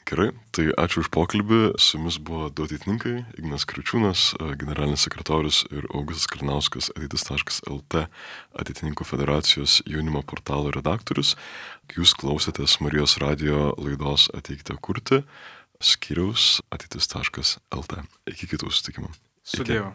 Gerai, tai ačiū už pokalbį. Su jumis buvo du ateitininkai, Ignas Kriaučiūnas, generalinis sekretorius ir Augustas Kalinauskas, ateitis.lt ateitininkų federacijos jaunimo portalo redaktorius. Jūs klausėtės Marijos radijo laidos Ateikite kurti, skyriaus ateitis.lt. Iki kitų susitikimų. Su Dievu.